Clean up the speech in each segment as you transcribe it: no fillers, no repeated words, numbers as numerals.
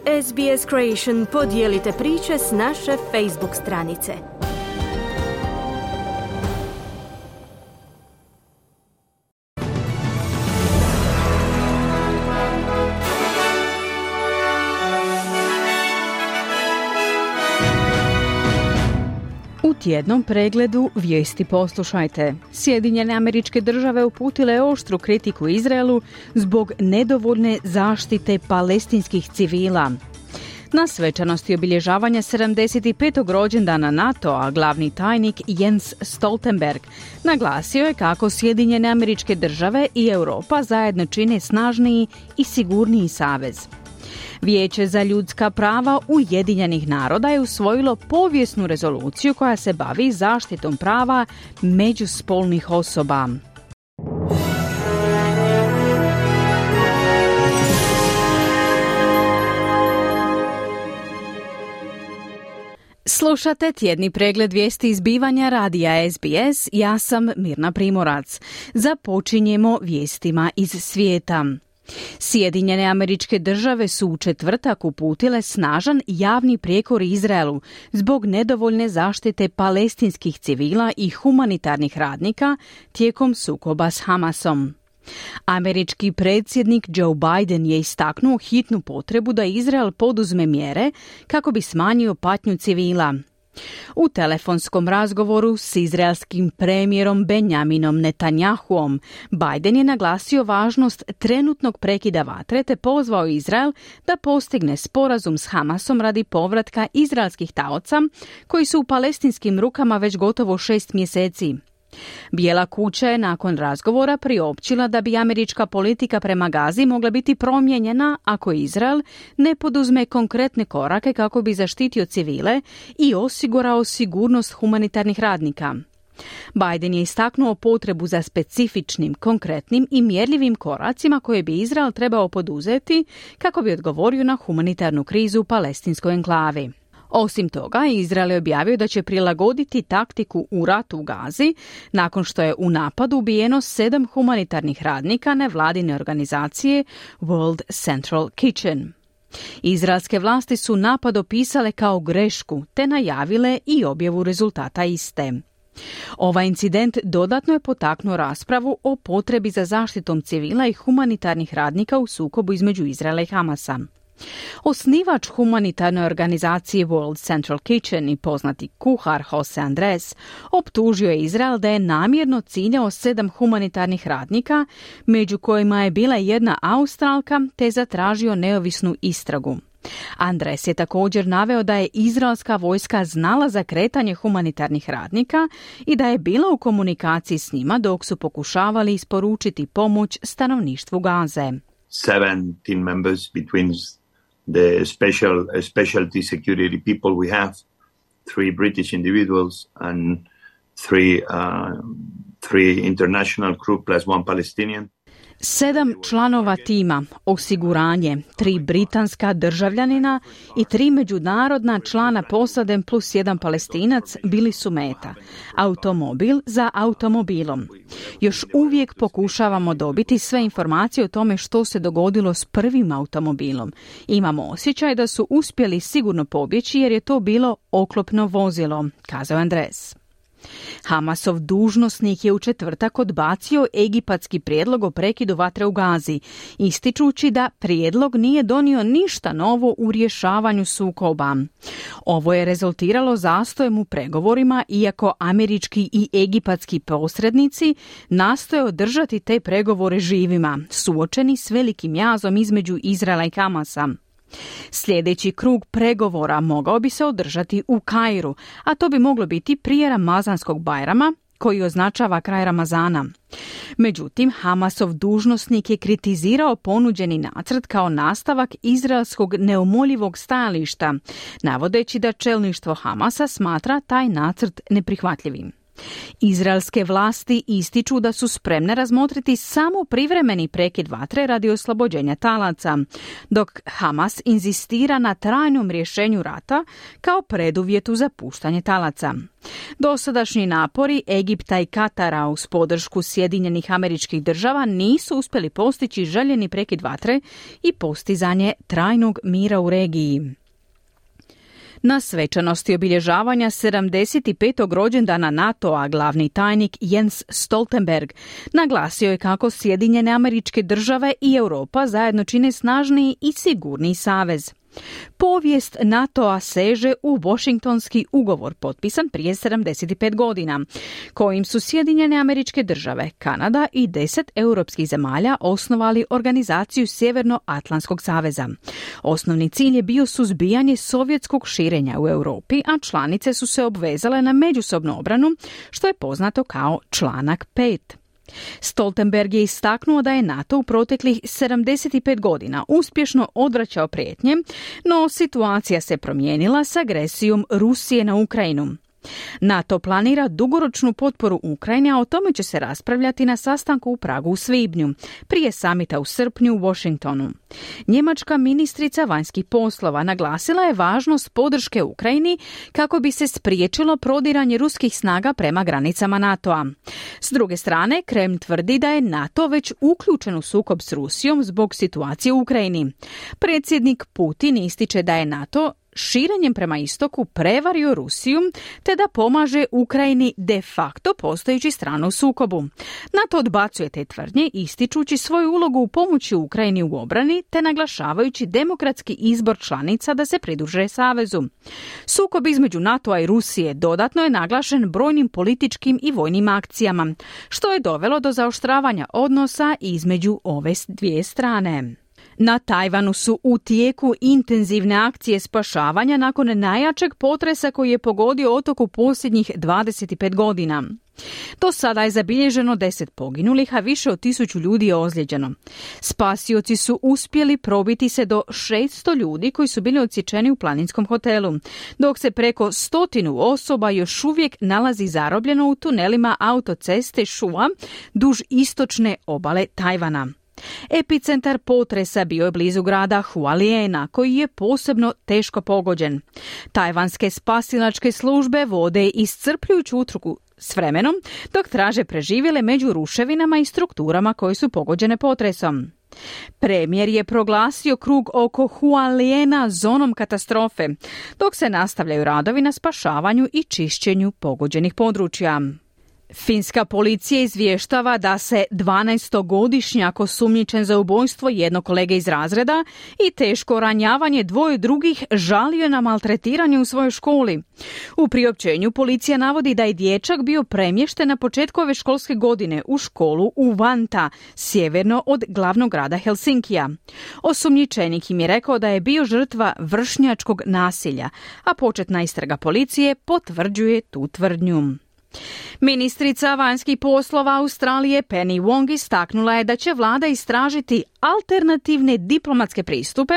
SBS Creation, podijelite priče s naše Facebook stranice. U tjednom pregledu vijesti poslušajte. Sjedinjene Američke Države uputile oštru kritiku Izraelu zbog nedovoljne zaštite palestinskih civila. Na svečanosti obilježavanja 75. rođendana NATO-a glavni tajnik Jens Stoltenberg naglasio je kako Sjedinjene Američke Države i Europa zajedno čine snažniji i sigurniji savez. Vijeće za ljudska prava Ujedinjenih naroda je usvojilo povijesnu rezoluciju koja se bavi zaštitom prava međuspolnih osoba. Slušate tjedni pregled vijesti izbivanja radija SBS, ja sam Mirna Primorac. Započinjemo vijestima iz svijeta. Sjedinjene Američke Države su u četvrtak uputile snažan javni prijekor Izraelu zbog nedovoljne zaštite palestinskih civila i humanitarnih radnika tijekom sukoba s Hamasom. Američki predsjednik Joe Biden je istaknuo hitnu potrebu da Izrael poduzme mjere kako bi smanjio patnju civila. U telefonskom razgovoru s izraelskim premijerom Benjaminom Netanjahuom, Biden je naglasio važnost trenutnog prekida vatre te pozvao Izrael da postigne sporazum s Hamasom radi povratka izraelskih taoca koji su u palestinskim rukama već gotovo 6 mjeseci. Bijela kuća je nakon razgovora priopćila da bi američka politika prema Gazi mogla biti promijenjena ako Izrael ne poduzme konkretne korake kako bi zaštitio civile i osigurao sigurnost humanitarnih radnika. Biden je istaknuo potrebu za specifičnim, konkretnim i mjerljivim koracima koje bi Izrael trebao poduzeti kako bi odgovorio na humanitarnu krizu u palestinskoj enklavi. Osim toga, Izrael je objavio da će prilagoditi taktiku u ratu u Gazi nakon što je u napadu ubijeno 7 humanitarnih radnika nevladine organizacije World Central Kitchen. Izraelske vlasti su napad opisale kao grešku te najavile i objavu rezultata iste. Ovaj incident dodatno je potaknuo raspravu o potrebi za zaštitom civila i humanitarnih radnika u sukobu između Izraela i Hamasa. Osnivač humanitarne organizacije World Central Kitchen i poznati kuhar Jose Andres optužio je Izrael da je namjerno ciljao 7 humanitarnih radnika, među kojima je bila jedna Australka, te zatražio neovisnu istragu. Andres je također naveo da je izraelska vojska znala za kretanje humanitarnih radnika i da je bila u komunikaciji s njima dok su pokušavali isporučiti pomoć stanovništvu Gaze. 17 members between the specialty security people we have, 3 British individuals and 3 international crew plus 1 Palestinian. 7 članova tima, osiguranje, 3 britanska državljanina i 3 međunarodna člana posade plus 1 Palestinac bili su meta. Automobil za automobilom. Još uvijek pokušavamo dobiti sve informacije o tome što se dogodilo s prvim automobilom. Imamo osjećaj da su uspjeli sigurno pobjeći jer je to bilo oklopno vozilo, kazao Andres. Hamasov dužnosnik je u četvrtak odbacio egipatski prijedlog o prekidu vatre u Gazi, ističući da prijedlog nije donio ništa novo u rješavanju sukoba. Ovo je rezultiralo zastojem u pregovorima, iako američki i egipatski posrednici nastoje održati te pregovore živima, suočeni s velikim jazom između Izraela i Hamasa. Sljedeći krug pregovora mogao bi se održati u Kairu, a to bi moglo biti prije Ramazanskog Bajrama, koji označava kraj Ramazana. Međutim, Hamasov dužnosnik je kritizirao ponuđeni nacrt kao nastavak izraelskog neumoljivog stajališta, navodeći da čelništvo Hamasa smatra taj nacrt neprihvatljivim. Izraelske vlasti ističu da su spremne razmotriti samo privremeni prekid vatre radi oslobođenja talaca, dok Hamas inzistira na trajnom rješenju rata kao preduvjetu za puštanje talaca. Dosadašnji napori Egipta i Katara uz podršku Sjedinjenih Američkih Država nisu uspjeli postići željeni prekid vatre i postizanje trajnog mira u regiji. Na svečanosti obilježavanja 75. rođendana NATO-a glavni tajnik Jens Stoltenberg naglasio je kako Sjedinjene Američke Države i Europa zajedno čine snažniji i sigurniji savez. Povijest NATO-a seže u Washingtonski ugovor potpisan prije 75 godina, kojim su Sjedinjene Američke Države, Kanada i 10 europskih zemalja osnovali organizaciju Sjevernoatlantskog saveza. Osnovni cilj je bio suzbijanje sovjetskog širenja u Europi, a članice su se obvezale na međusobnu obranu, što je poznato kao članak 5. Stoltenberg je istaknuo da je NATO u proteklih 75 godina uspješno odvraćao prijetnje, no situacija se promijenila s agresijom Rusije na Ukrajinu. NATO planira dugoročnu potporu Ukrajine, a o tome će se raspravljati na sastanku u Pragu u svibnju, prije samita u srpnju u Washingtonu. Njemačka ministrica vanjskih poslova naglasila je važnost podrške Ukrajini kako bi se spriječilo prodiranje ruskih snaga prema granicama NATO-a. S druge strane, Kreml tvrdi da je NATO već uključen u sukob s Rusijom zbog situacije u Ukrajini. Predsjednik Putin ističe da je NATO širenjem prema istoku prevario Rusiju te da pomaže Ukrajini de facto postojeći stranu u sukobu. NATO odbacuje te tvrdnje ističući svoju ulogu u pomoći Ukrajini u obrani te naglašavajući demokratski izbor članica da se pridruže savezu. Sukob između NATO-a i Rusije dodatno je naglašen brojnim političkim i vojnim akcijama, što je dovelo do zaoštravanja odnosa između ove dvije strane. Na Tajvanu su u tijeku intenzivne akcije spašavanja nakon najjačeg potresa koji je pogodio otok u posljednjih 25 godina. Do sada je zabilježeno 10 poginulih, a više od 1000 ljudi je ozlijeđeno. Spasioci su uspjeli probiti se do 600 ljudi koji su bili odsječeni u planinskom hotelu, dok se preko 100 osoba još uvijek nalazi zarobljeno u tunelima autoceste Shua duž istočne obale Tajvana. Epicentar potresa bio je blizu grada Hualiena, koji je posebno teško pogođen. Tajvanske spasilačke službe vode iscrpljujuću utrku s vremenom, dok traže preživjele među ruševinama i strukturama koje su pogođene potresom. Premijer je proglasio krug oko Hualiena zonom katastrofe, dok se nastavljaju radovi na spašavanju i čišćenju pogođenih područja. Finska policija izvještava da se 12-godišnjak osumnjičen za ubojstvo jednog kolege iz razreda i teško ranjavanje dvoje drugih žalio na maltretiranje u svojoj školi. U priopćenju policija navodi da je dječak bio premješten na početku ove školske godine u školu u Vanta, sjeverno od glavnog grada Helsinkija. Osumnjičenik im je rekao da je bio žrtva vršnjačkog nasilja, a početna istraga policije potvrđuje tu tvrdnju. Ministrica vanjskih poslova Australije Penny Wong istaknula je da će vlada istražiti alternativne diplomatske pristupe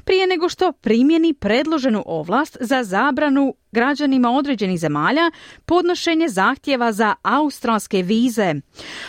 prije nego što primjeni predloženu ovlast za zabranu građanima određenih zemalja podnošenje zahtjeva za australske vize.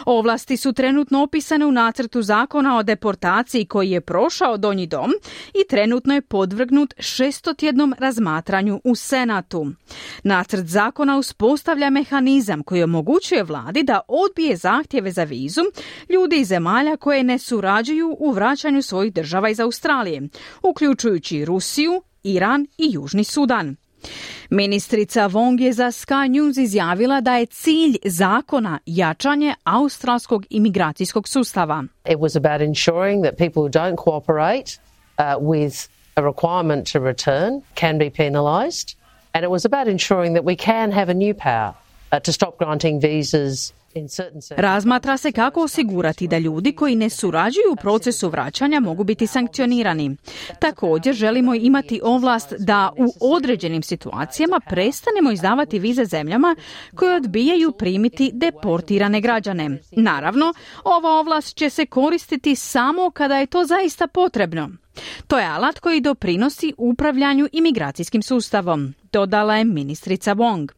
Ovlasti su trenutno opisane u nacrtu zakona o deportaciji koji je prošao Donji dom i trenutno je podvrgnut 600-tjednom razmatranju u Senatu. Nacrt zakona uspostavlja mehanizam koji omogućuje vladi da odbije zahtjeve za vizu ljudi iz zemalja koje ne surađuju u vraćanju svojih država iz Australije, uključujući Rusiju, Iran i Južni Sudan. Ministrica Wong je za Sky News izjavila da je cilj zakona jačanje australskog imigracijskog sustava. It was about ensuring that people who don't cooperate with a requirement to return can be penalised, and it was about ensuring that we can have a new power to stop granting visas. Razmatra se kako osigurati da ljudi koji ne surađuju u procesu vraćanja mogu biti sankcionirani. Također želimo imati ovlast da u određenim situacijama prestanemo izdavati vize zemljama koje odbijaju primiti deportirane građane. Naravno, ova ovlast će se koristiti samo kada je to zaista potrebno. To je alat koji doprinosi upravljanju imigracijskim sustavom, dodala je ministrica Wong.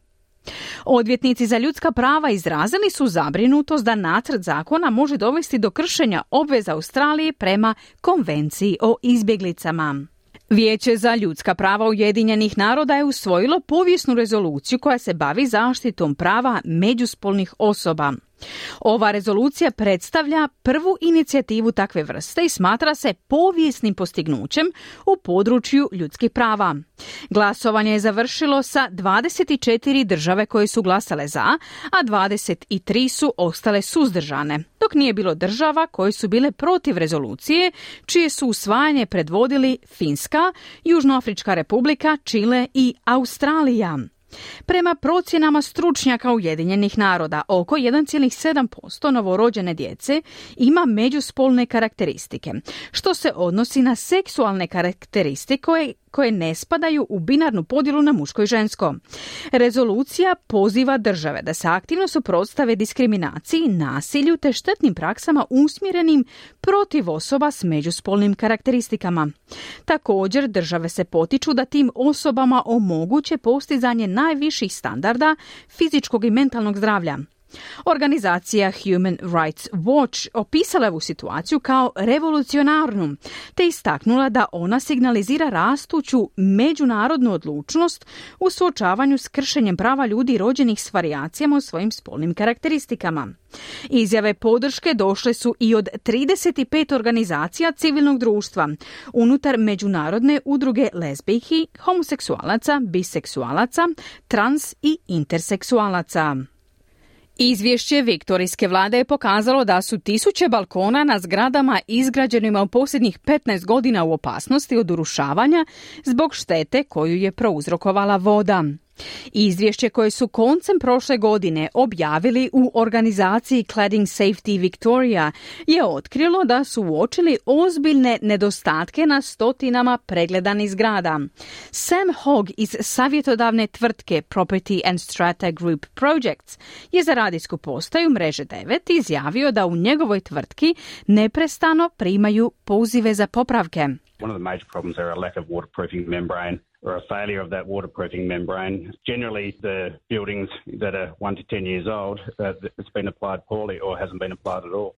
Odvjetnici za ljudska prava izrazili su zabrinutost da nacrt zakona može dovesti do kršenja obveza Australije prema Konvenciji o izbjeglicama. Vijeće za ljudska prava Ujedinjenih naroda je usvojilo povijesnu rezoluciju koja se bavi zaštitom prava međuspolnih osoba. Ova rezolucija predstavlja prvu inicijativu takve vrste i smatra se povijesnim postignućem u području ljudskih prava. Glasovanje je završilo sa 24 države koje su glasale za, a 23 su ostale suzdržane, dok nije bilo država koje su bile protiv rezolucije, čije su usvajanje predvodili Finska, Južnoafrička republika, Čile i Australija. Prema procjenama stručnjaka Ujedinjenih naroda, oko 1,7% novorođene djece ima međuspolne karakteristike, što se odnosi na seksualne karakteristike koje ne spadaju u binarnu podjelu na muško i žensko. Rezolucija poziva države da se aktivno suprotstave diskriminaciji, nasilju te štetnim praksama usmjerenim protiv osoba s međuspolnim karakteristikama. Također, države se potiču da tim osobama omoguće postizanje najviših standarda fizičkog i mentalnog zdravlja. Organizacija Human Rights Watch opisala je ovu situaciju kao revolucionarnu, te istaknula da ona signalizira rastuću međunarodnu odlučnost u suočavanju s kršenjem prava ljudi rođenih s varijacijama u svojim spolnim karakteristikama. Izjave podrške došle su i od 35 organizacija civilnog društva unutar međunarodne udruge lezbijki, homoseksualaca, biseksualaca, trans i interseksualaca. Izvješće viktorijske vlade je pokazalo da su tisuće balkona na zgradama izgrađenima u posljednjih 15 godina u opasnosti od urušavanja zbog štete koju je prouzrokovala voda. Izvješće koje su koncem prošle godine objavili u organizaciji Cladding Safety Victoria je otkrilo da su uočili ozbiljne nedostatke na stotinama pregledanih zgrada. Sam Hogg iz savjetodavne tvrtke Property and Strata Group Projects je za radijsku postaju Mreže 9 izjavio da u njegovoj tvrtki neprestano primaju pozive za popravke. One of the major problems are a lack of waterproofing membrane or a failure of that waterproofing membrane. Generally, the buildings that are 1 to 10 years old, it's been applied poorly or hasn't been applied at all.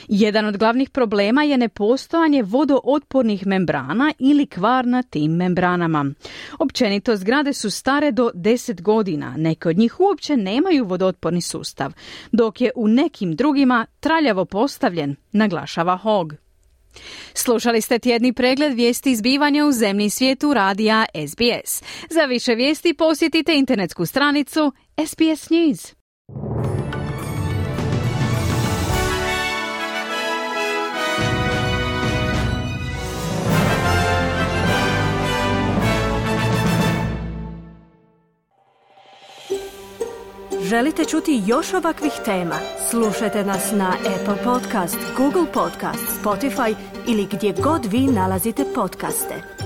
Jedan od glavnih problema je nepostojanje vodootpornih membrana ili kvar na tim membranama. Općenito, zgrade su stare do 10 godina, neke od njih uopće nemaju vodootporni sustav, dok je u nekim drugima traljavo postavljen, naglašava Hogg. Slušali ste tjedni pregled vijesti izbivanja u zemlji i svijetu radija SBS. Za više vijesti posjetite internetsku stranicu SBS News. Želite čuti još ovakvih tema? Slušajte nas na Apple Podcast, Google Podcast, Spotify ili gdje god vi nalazite podcaste.